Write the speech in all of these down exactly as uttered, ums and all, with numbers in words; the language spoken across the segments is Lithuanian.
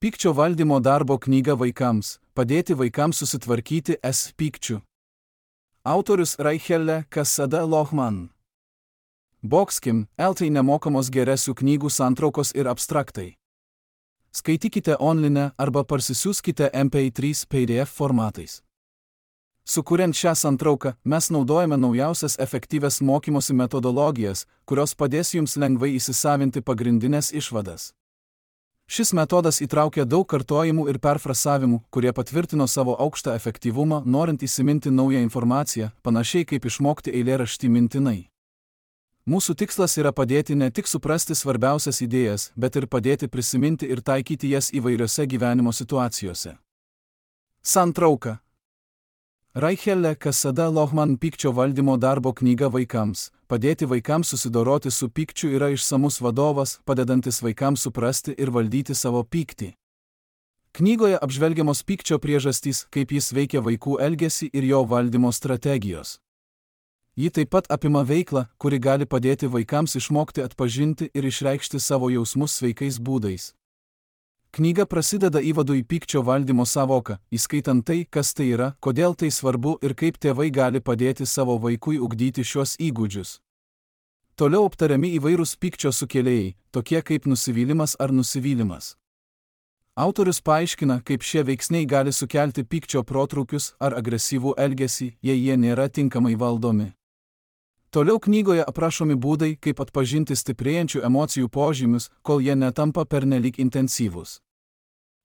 Pykčio valdymo darbo knyga vaikams – padėti vaikams susitvarkyti S pykčiu. Autorius Raichelle Casada Lohman. Boxkim, eltai nemokamos geresių knygų santraukos ir abstraktai. Skaitykite online arba parsisiųskite M P trys P D F formatais. Sukuriant šią santrauką, mes naudojame naujausias efektyvias mokymosi metodologijas, kurios padės jums lengvai įsisavinti pagrindinės išvadas. Šis metodas įtraukia daug kartojimų ir perfrasavimų, kurie patvirtino savo aukštą efektyvumą, norint įsiminti naują informaciją, panašiai kaip išmokti eilėraštį mintinai. Mūsų tikslas yra padėti ne tik suprasti svarbiausias idėjas, bet ir padėti prisiminti ir taikyti jas įvairiose gyvenimo situacijose. Santrauka. Raichelle Casada Lohman pykčio valdymo darbo knyga vaikams – padėti vaikams susidoroti su pykčiu yra išsamus vadovas, padedantis vaikams suprasti ir valdyti savo pyktį. Knygoje apžvelgiamos pykčio priežastys, kaip jis veikia vaikų elgesį ir jo valdymo strategijos. Ji taip pat apima veiklą, kuri gali padėti vaikams išmokti atpažinti ir išreikšti savo jausmus sveikais būdais. Knyga prasideda įvadu į pykčio valdymo sąvoką, įskaitant tai, kas tai yra, kodėl tai svarbu ir kaip tėvai gali padėti savo vaikui ugdyti šios įgūdžius. Toliau aptariami įvairūs pykčio sukėlėjai, tokie kaip nusivylimas ar nusivylimas. Autorius paaiškina, kaip šie veiksniai gali sukelti pykčio protrūkius ar agresyvų elgesį, jei jie nėra tinkamai valdomi. Toliau knygoje aprašomi būdai, kaip atpažinti stiprėjančių emocijų požymius, kol jie netampa pernelyg intensyvūs.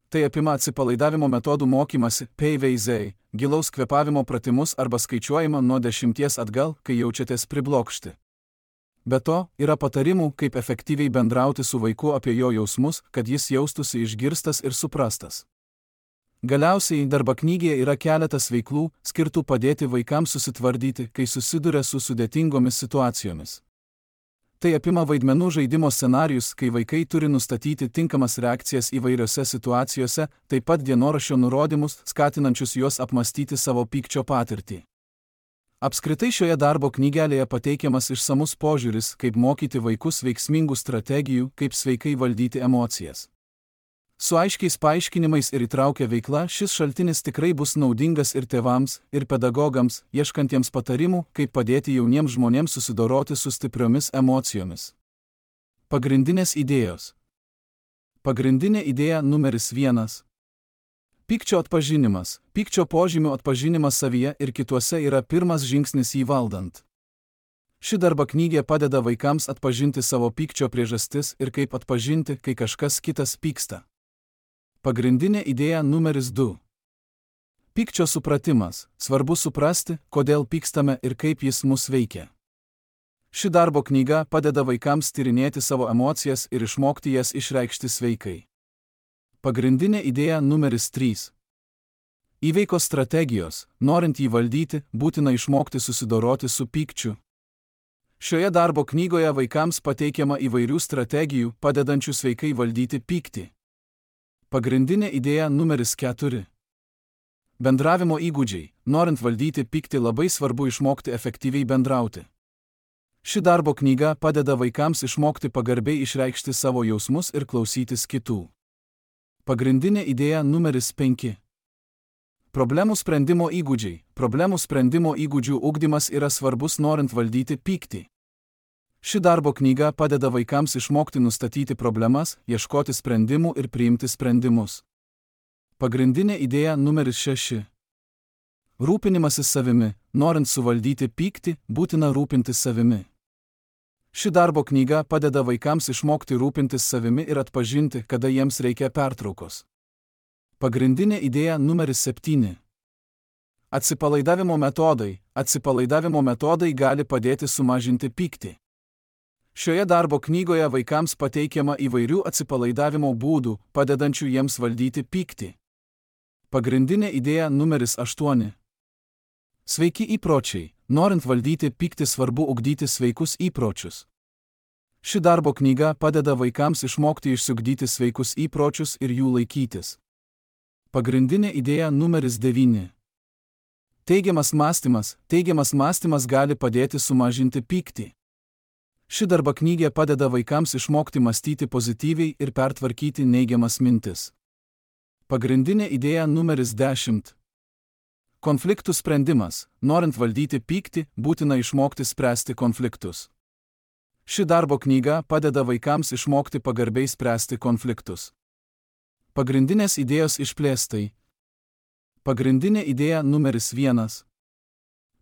Tai apima atsipalaidavimo metodų mokymasi, P V Z, gilaus kvėpavimo pratimus arba skaičiuojimą nuo dešimties atgal, kai jaučiatės priblokšti. Be to, yra patarimų, kaip efektyviai bendrauti su vaiku apie jo jausmus, kad jis jaustųsi išgirstas ir suprastas. Galiausiai, darbo knygoje yra keletas veiklų, skirtų padėti vaikams susitvardyti, kai susiduria su sudėtingomis situacijomis. Tai apima vaidmenų žaidimo scenarijus, kai vaikai turi nustatyti tinkamas reakcijas įvairiose situacijose, taip pat dienoraščio nurodymus, skatinančius juos apmastyti savo pykčio patirtį. Apskritai šioje darbo knygelėje pateikiamas išsamus požiūris, kaip mokyti vaikus veiksmingų strategijų, kaip sveikai valdyti emocijas. Su aiškiais paaiškinimais ir įtraukia veikla, šis šaltinis tikrai bus naudingas ir tėvams, ir pedagogams, ieškantiems patarimų, kaip padėti jauniems žmonėms susidoroti su stipriomis emocijomis. Pagrindinės idėjos. Pagrindinė idėja numeris vienas. Pykčio atpažinimas. Pykčio požymių atpažinimas savyje ir kituose yra pirmas žingsnis jį valdant. Ši darbo knygė padeda vaikams atpažinti savo pykčio priežastis ir kaip atpažinti, kai kažkas kitas pyksta. Pagrindinė idėja numeris du. Pykčio supratimas. Svarbu suprasti, kodėl pykstame ir kaip jis mus veikia. Ši darbo knyga padeda vaikams tyrinėti savo emocijas ir išmokti jas išreikšti sveikai. Pagrindinė idėja numeris trys. Įveikos strategijos. Norint jį valdyti, būtina išmokti susidoroti su pykčiu. Šioje darbo knygoje vaikams pateikiama įvairių strategijų, padedančių sveikai valdyti pyktį. Pagrindinė idėja numeris keturi. Bendravimo įgūdžiai. Norint valdyti pyktį, labai svarbu išmokti efektyviai bendrauti. Ši darbo knyga padeda vaikams išmokti pagarbiai išreikšti savo jausmus ir klausytis kitų. Pagrindinė idėja numeris penki. Problemų sprendimo įgūdžiai. Problemų sprendimo įgūdžių ugdymas yra svarbus norint valdyti pyktį. Ši darbo knyga padeda vaikams išmokti nustatyti problemas, ieškoti sprendimų ir priimti sprendimus. Pagrindinė idėja numeris šeši. Rūpinimasis savimi. Norint suvaldyti pyktį, būtina rūpintis savimi. Ši darbo knyga padeda vaikams išmokti rūpintis savimi ir atpažinti, kada jiems reikia pertraukos. Pagrindinė idėja numeris septyni. Atsipalaidavimo metodai. Atsipalaidavimo metodai gali padėti sumažinti pyktį. Šioje darbo knygoje vaikams pateikiama įvairių atsipalaidavimo būdų, padedančių jiems valdyti pyktį. Pagrindinė idėja numeris aštuoni. Sveiki įpročiai. Norint valdyti pyktį, svarbu ugdyti sveikus įpročius. Ši darbo knyga padeda vaikams išmokti išsiugdyti sveikus įpročius ir jų laikytis. Pagrindinė idėja numeris devyni. Teigiamas mąstymas. Teigiamas mąstymas gali padėti sumažinti pyktį. Ši darbo knygė padeda vaikams išmokti mąstyti pozityviai ir pertvarkyti neigiamas mintis. Pagrindinė idėja numeris dešimt. Konfliktų sprendimas. Norint valdyti pyktį, būtina išmokti spręsti konfliktus. Ši darbo knyga padeda vaikams išmokti pagarbiai spręsti konfliktus. Pagrindinės idėjos išplėstai. Pagrindinė idėja numeris vienas.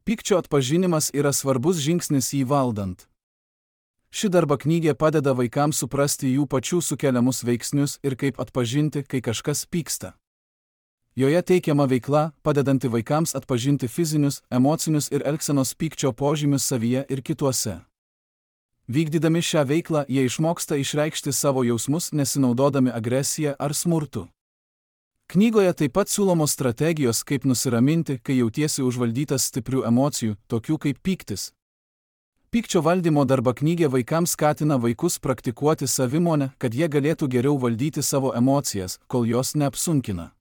Pykčio atpažinimas yra svarbus žingsnis jį valdant. Ši darbo knyga padeda vaikams suprasti jų pačių sukeliamus veiksnius ir kaip atpažinti, kai kažkas pyksta. Joje teikiama veikla, padedanti vaikams atpažinti fizinius, emocinius ir elgsenos pykčio požymius savyje ir kituose. Vykdydami šią veiklą, jie išmoksta išreikšti savo jausmus, nesinaudodami agresiją ar smurtu. Knygoje taip pat siūlomos strategijos, kaip nusiraminti, kai jautiesi užvaldytas stiprių emocijų, tokių kaip pyktis. Pykčio valdymo darbo knyga vaikams skatina vaikus praktikuoti savimonę, kad jie galėtų geriau valdyti savo emocijas, kol jos neapsunkina.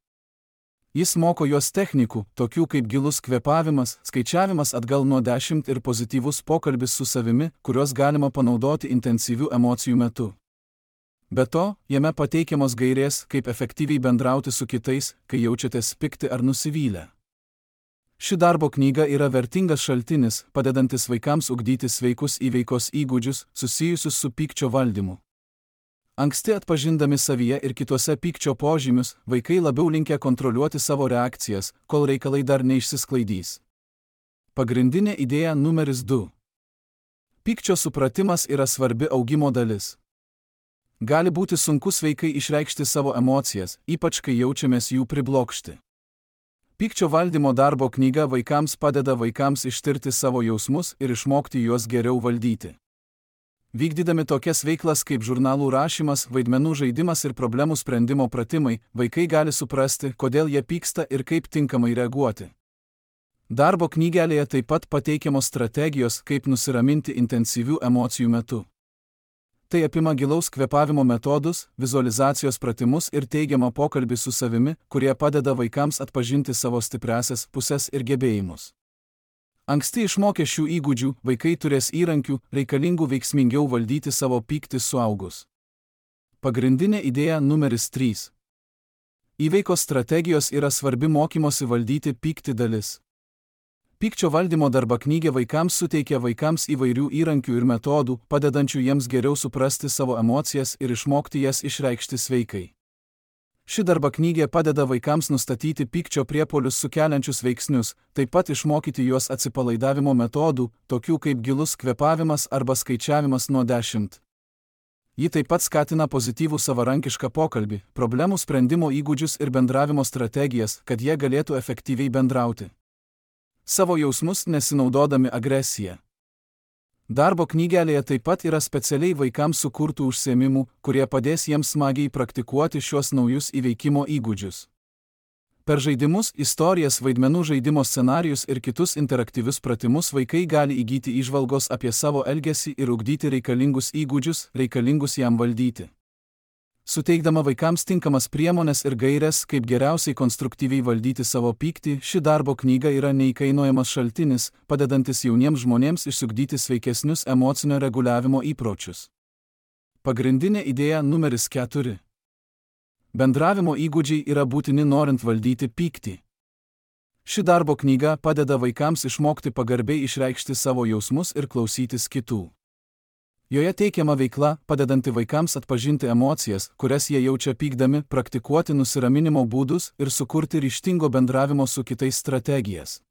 Jis moko juos technikų, tokių kaip gilus kvėpavimas, skaičiavimas atgal nuo dešimt ir pozityvus pokalbis su savimi, kuriuos galima panaudoti intensyvių emocijų metu. Be to, jame pateikiamos gairės, kaip efektyviai bendrauti su kitais, kai jaučiatės pikti ar nusivylę. Ši darbo knyga yra vertingas šaltinis, padedantis vaikams ugdyti sveikus įveikos įgūdžius, susijusius su pykčio valdymu. Anksti atpažindami savyje ir kituose pykčio požymius, vaikai labiau linkę kontroliuoti savo reakcijas, kol reikalai dar neišsisklaidys. Pagrindinė idėja numeris du. Pykčio supratimas yra svarbi augimo dalis. Gali būti sunku sveikai išreikšti savo emocijas, ypač kai jaučiamės jų priblokšti. Pykčio valdymo darbo knyga vaikams padeda vaikams ištirti savo jausmus ir išmokti juos geriau valdyti. Vykdydami tokias veiklas kaip žurnalų rašymas, vaidmenų žaidimas ir problemų sprendimo pratimai, vaikai gali suprasti, kodėl jie pyksta ir kaip tinkamai reaguoti. Darbo knygelėje taip pat pateikiamos strategijos, kaip nusiraminti intensyvių emocijų metu. Tai apima gilaus kvėpavimo metodus, vizualizacijos pratimus ir teigiamą pokalbį su savimi, kurie padeda vaikams atpažinti savo stipriąsias puses ir gebėjimus. Anksti išmokę šių įgūdžių, vaikai turės įrankių, reikalingų veiksmingiau valdyti savo pyktį suaugus. Pagrindinė idėja numeris trys. Įveikos strategijos yra svarbi mokymosi valdyti pyktį dalis. Pykčio valdymo darbo knyga vaikams suteikia vaikams įvairių įrankių ir metodų, padedančių jiems geriau suprasti savo emocijas ir išmokti jas išreikšti sveikai. Ši darbo knyga padeda vaikams nustatyti pykčio priepuolius sukeliančius veiksnius, taip pat išmokyti juos atsipalaidavimo metodų, tokių kaip gilus kvėpavimas arba skaičiavimas nuo dešimt. Ji taip pat skatina pozityvų savarankišką pokalbį, problemų sprendimo įgūdžius ir bendravimo strategijas, kad jie galėtų efektyviai bendrauti. Savo jausmus nesinaudodami agresiją. Darbo knygelėje taip pat yra specialiai vaikams sukurtų užsiėmimų, kurie padės jiems smagiai praktikuoti šios naujus įveikimo įgūdžius. Per žaidimus, istorijas, vaidmenų žaidimo scenarijus ir kitus interaktyvius pratimus vaikai gali įgyti įžvalgos apie savo elgesį ir ugdyti reikalingus įgūdžius, reikalingus jam valdyti. Suteikdama vaikams tinkamas priemones ir gaires, kaip geriausiai konstruktyviai valdyti savo pyktį, ši darbo knyga yra neįkainojamas šaltinis, padedantis jauniems žmonėms išsiugdyti sveikesnius emocinio reguliavimo įpročius. Pagrindinė idėja numeris keturi. Bendravimo įgūdžiai yra būtini norint valdyti pyktį. Ši darbo knyga padeda vaikams išmokti pagarbiai išreikšti savo jausmus ir klausytis kitų. Joje teikiama veikla, padedanti vaikams atpažinti emocijas, kurias jie jaučia pykdami, praktikuoti nusiraminimo būdus ir sukurti ryžtingo bendravimo su kitais strategijas.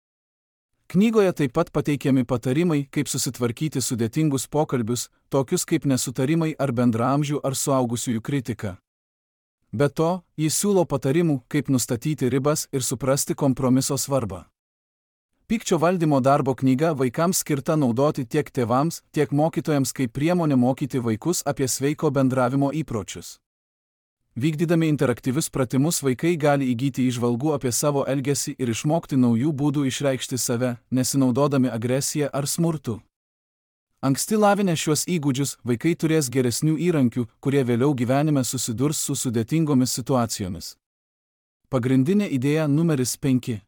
Knygoje taip pat pateikiami patarimai, kaip susitvarkyti sudėtingus pokalbius, tokius kaip nesutarimai ar bendraamžių ar suaugusiųjų kritika. Be to, jis siūlo patarimų, kaip nustatyti ribas ir suprasti kompromiso svarbą. Pykčio valdymo darbo knyga vaikams skirta naudoti tiek tėvams, tiek mokytojams kaip priemonė mokyti vaikus apie sveiko bendravimo įpročius. Vykdydami interaktyvius pratimus vaikai gali įgyti įžvalgų apie savo elgesį ir išmokti naujų būdų išreikšti save, nesinaudodami agresiją ar smurtu. Anksti lavinę šiuos įgūdžius, vaikai turės geresnių įrankių, kurie vėliau gyvenime susidurs su sudėtingomis situacijomis. Pagrindinė idėja numeris penki.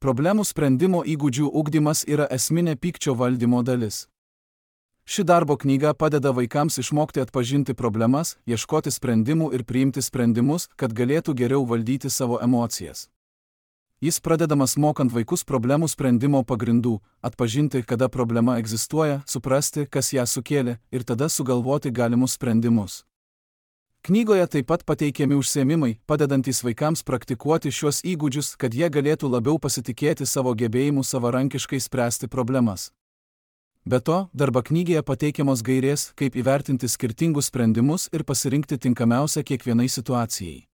Problemų sprendimo įgūdžių ugdymas yra esminė pykčio valdymo dalis. Ši darbo knyga padeda vaikams išmokti atpažinti problemas, ieškoti sprendimų ir priimti sprendimus, kad galėtų geriau valdyti savo emocijas. Jis pradedamas mokant vaikus problemų sprendimo pagrindų, atpažinti, kada problema egzistuoja, suprasti, kas ją sukėlė, ir tada sugalvoti galimus sprendimus. Knygoje taip pat pateikiami užsiėmimai, padedantys vaikams praktikuoti šiuos įgūdžius, kad jie galėtų labiau pasitikėti savo gebėjimu savarankiškai spręsti problemas. Be to, darbo knygoje pateikiamos gairės, kaip įvertinti skirtingus sprendimus ir pasirinkti tinkamiausią kiekvienai situacijai.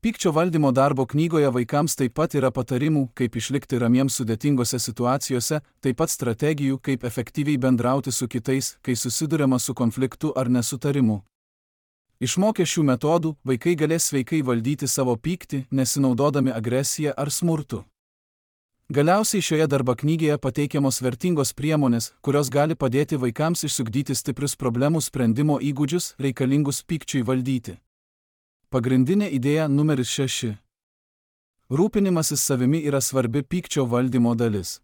Pykčio valdymo darbo knygoje vaikams taip pat yra patarimų, kaip išlikti ramiems sudėtingose situacijose, taip pat strategijų, kaip efektyviai bendrauti su kitais, kai susiduriama su konfliktu ar nesutarimu. Išmokę šių metodų, vaikai galės sveikai valdyti savo pyktį, nesinaudodami agresiją ar smurtu. Galiausiai šioje darbo knygoje pateikiamos vertingos priemonės, kurios gali padėti vaikams išsiugdyti stiprius problemų sprendimo įgūdžius, reikalingus pykčiui valdyti. Pagrindinė idėja numeris šeši. Rūpinimasis savimi yra svarbi pykčio valdymo dalis.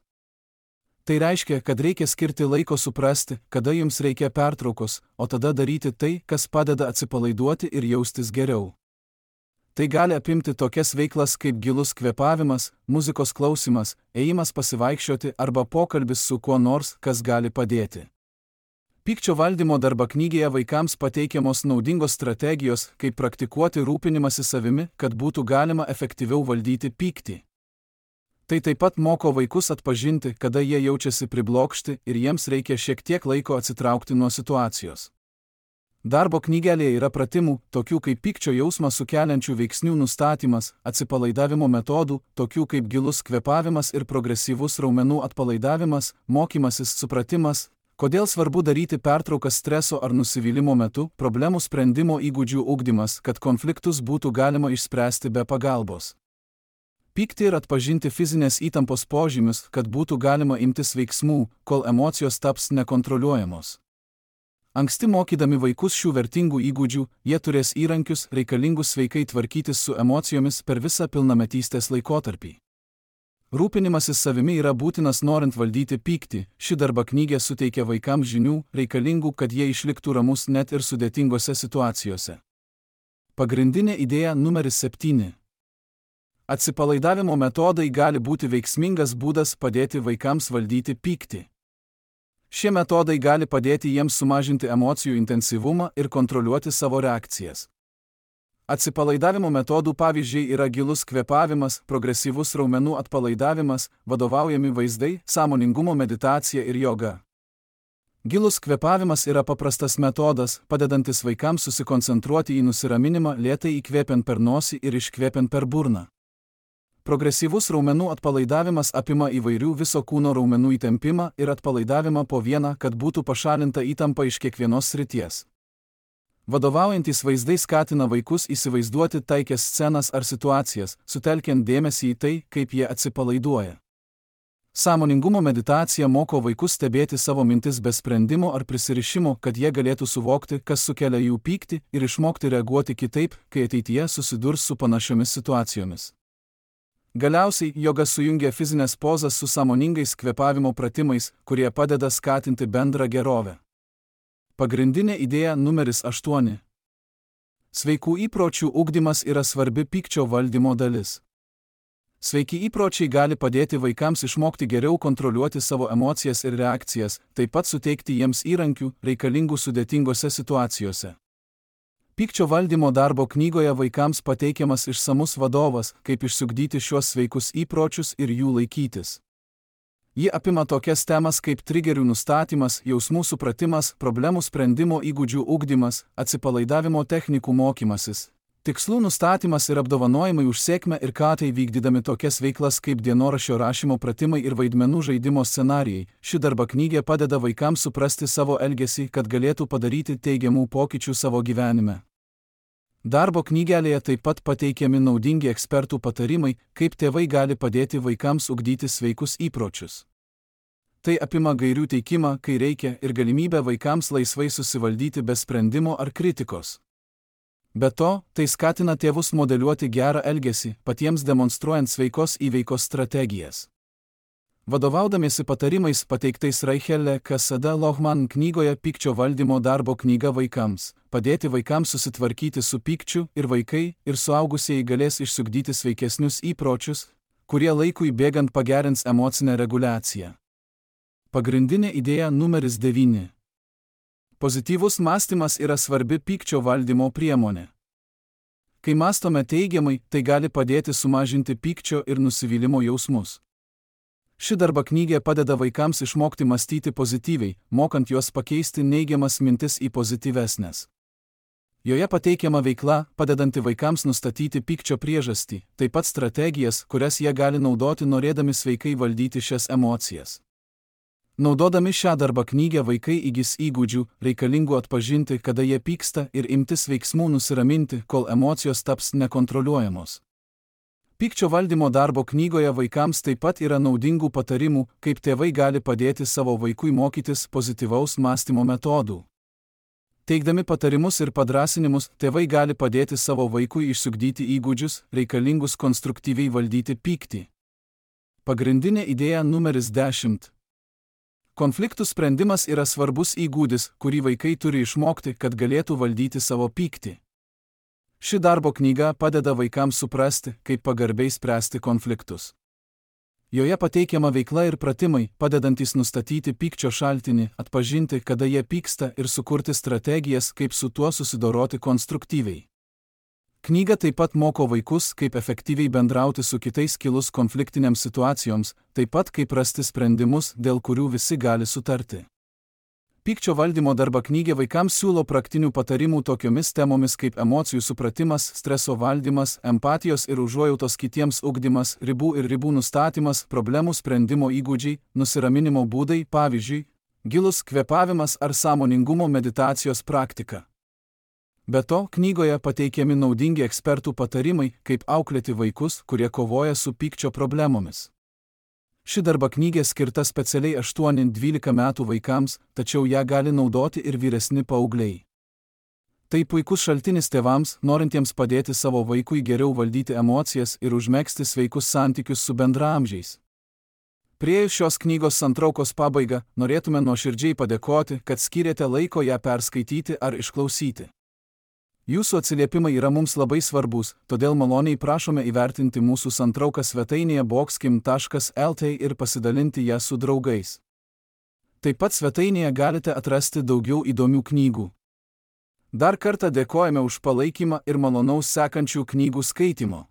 Tai reiškia, kad reikia skirti laiko suprasti, kada jums reikia pertraukos, o tada daryti tai, kas padeda atsipalaiduoti ir jaustis geriau. Tai gali apimti tokias veiklas kaip gilus kvėpavimas, muzikos klausimas, ėjimas pasivaikščioti arba pokalbis su kuo nors, kas gali padėti. Pykčio valdymo darbo knygoje vaikams pateikiamos naudingos strategijos, kaip praktikuoti rūpinimąsi savimi, kad būtų galima efektyviau valdyti pyktį. Tai taip pat moko vaikus atpažinti, kada jie jaučiasi priblokšti ir jiems reikia šiek tiek laiko atsitraukti nuo situacijos. Darbo knygelėje yra pratimų, tokių kaip pykčio jausmą sukeliančių veiksnių nustatymas, atsipalaidavimo metodų, tokių kaip gilus kvėpavimas ir progresyvus raumenų atpalaidavimas, mokymasis, supratimas, kodėl svarbu daryti pertraukas streso ar nusivylimo metu, problemų sprendimo įgūdžių ugdymas, kad konfliktus būtų galima išspręsti be pagalbos. Pykti ir atpažinti fizinės įtampos požymius, kad būtų galima imtis veiksmų, kol emocijos taps nekontroliuojamos. Anksti mokydami vaikus šių vertingų įgūdžių, jie turės įrankius, reikalingus sveikai tvarkytis su emocijomis per visą pilnametystės laikotarpį. Rūpinimasis savimi yra būtinas norint valdyti pyktį, ši darbo knyga suteikia vaikams žinių, reikalingų, kad jie išliktų ramus net ir sudėtingose situacijose. Pagrindinė idėja numeris septyni. Atsipalaidavimo metodai gali būti veiksmingas būdas padėti vaikams valdyti pyktį. Šie metodai gali padėti jiems sumažinti emocijų intensyvumą ir kontroliuoti savo reakcijas. Atsipalaidavimo metodų pavyzdžiai yra gilus kvėpavimas, progresyvus raumenų atpalaidavimas, vadovaujami vaizdai, sąmoningumo meditacija ir joga. Gilus kvėpavimas yra paprastas metodas, padedantis vaikams susikoncentruoti į nusiraminimą, lėtai įkvėpiant per nosį ir iškvėpiant per burną. Progresyvus raumenų atpalaidavimas apima įvairių viso kūno raumenų įtempimą ir atpalaidavimą po vieną, kad būtų pašalinta įtampa iš kiekvienos srities. Vadovaujantys vaizdai skatina vaikus įsivaizduoti taikias scenas ar situacijas, sutelkiant dėmesį į tai, kaip jie atsipalaiduoja. Sąmoningumo meditacija moko vaikus stebėti savo mintis be sprendimo ar prisirišimo, kad jie galėtų suvokti, kas sukelia jų pyktį ir išmokti reaguoti kitaip, kai ateityje susidurs su panašiomis situacijomis. Galiausiai, joga sujungia fizinės pozas su sąmoningais kvėpavimo pratimais, kurie padeda skatinti bendrą gerovę. Pagrindinė idėja numeris aštuoni. Sveikų įpročių ugdymas yra svarbi pykčio valdymo dalis. Sveiki įpročiai gali padėti vaikams išmokti geriau kontroliuoti savo emocijas ir reakcijas, taip pat suteikti jiems įrankių, reikalingų sudėtingose situacijose. Pykčio valdymo darbo knygoje vaikams pateikiamas išsamus vadovas, kaip išsiugdyti šiuos sveikus įpročius ir jų laikytis. Ji apima tokias temas kaip trigerių nustatymas, jausmų supratimas, problemų sprendimo įgūdžių ugdymas, atsipalaidavimo technikų mokymasis, tikslų nustatymas ir apdovanojimai už sėkmę ir ką tai vykdydami tokias veiklas kaip dienoraščio rašymo pratimai ir vaidmenų žaidimo scenarijai. Ši darbo knyga padeda vaikams suprasti savo elgesį, kad galėtų padaryti teigiamų pokyčių savo gyvenime. Darbo knygelėje taip pat pateikiami naudingi ekspertų patarimai, kaip tėvai gali padėti vaikams ugdyti sveikus įpročius. Tai apima gairių teikimą, kai reikia, ir galimybę vaikams laisvai susivaldyti be sprendimo ar kritikos. Be to, tai skatina tėvus modeliuoti gerą elgesį, patiems demonstruojant sveikos įveikos strategijas. Vadovaudamiesi patarimais pateiktais Raichelle Cassada Lohman knygoje Pykčio valdymo darbo knyga vaikams, padėti vaikams susitvarkyti su pykčiu ir vaikai ir suaugusieji galės išsiugdyti sveikesnius įpročius, kurie laikui bėgant pagerins emocinę reguliaciją. Pagrindinė idėja numeris devyni. Pozityvus mąstymas yra svarbi pykčio valdymo priemonė. Kai mąstome teigiamai, tai gali padėti sumažinti pykčio ir nusivylimo jausmus. Ši darba knygė padeda vaikams išmokti mąstyti pozityviai, mokant juos pakeisti neigiamas mintis į pozityvesnės. Joje pateikiama veikla, padedanti vaikams nustatyti pykčio priežastį, taip pat strategijas, kurias jie gali naudoti norėdami sveikai valdyti šias emocijas. Naudodami šią darba knygę vaikai įgis įgūdžių, reikalingų atpažinti, kada jie pyksta ir imtis veiksmų nusiraminti, kol emocijos taps nekontroliuojamos. Pykčio valdymo darbo knygoje vaikams taip pat yra naudingų patarimų, kaip tėvai gali padėti savo vaikui mokytis pozityvaus mąstymo metodų. Teikdami patarimus ir padrąsinimus, tėvai gali padėti savo vaikui išsiugdyti įgūdžius, reikalingus konstruktyviai valdyti pyktį. Pagrindinė idėja numeris dešimt. Konfliktų sprendimas yra svarbus įgūdis, kurį vaikai turi išmokti, kad galėtų valdyti savo pyktį. Ši darbo knyga padeda vaikams suprasti, kaip pagarbiai spręsti konfliktus. Joje pateikiama veikla ir pratimai, padedantys nustatyti pykčio šaltinį, atpažinti, kada jie pyksta ir sukurti strategijas, kaip su tuo susidoroti konstruktyviai. Knyga taip pat moko vaikus, kaip efektyviai bendrauti su kitais kilus konfliktiniams situacijoms, taip pat kaip rasti sprendimus, dėl kurių visi gali sutarti. Pykčio valdymo darba knygė vaikams siūlo praktinių patarimų tokiomis temomis kaip emocijų supratimas, streso valdymas, empatijos ir užuojautos kitiems ugdymas, ribų ir ribų nustatymas, problemų sprendimo įgūdžiai, nusiraminimo būdai, pavyzdžiui, gilus kvėpavimas ar sąmoningumo meditacijos praktika. Be to, knygoje pateikiami naudingi ekspertų patarimai, kaip auklėti vaikus, kurie kovoja su pykčio problemomis. Ši darba knygė skirta specialiai aštuoni dvylika metų vaikams, tačiau ją gali naudoti ir vyresni paaugliai. Tai puikus šaltinis tėvams, norintiems padėti savo vaikui geriau valdyti emocijas ir užmegzti sveikus santykius su bendraamžiais. Priėjus šios knygos santraukos pabaigą, norėtume nuoširdžiai padėkoti, kad skyrėte laiko ją perskaityti ar išklausyti. Jūsų atsiliepimai yra mums labai svarbus, todėl maloniai prašome įvertinti mūsų santrauką svetainėje boxkim taškas lt ir pasidalinti ją su draugais. Taip pat svetainėje galite atrasti daugiau įdomių knygų. Dar kartą dėkojame už palaikymą ir malonaus sekančių knygų skaitimo.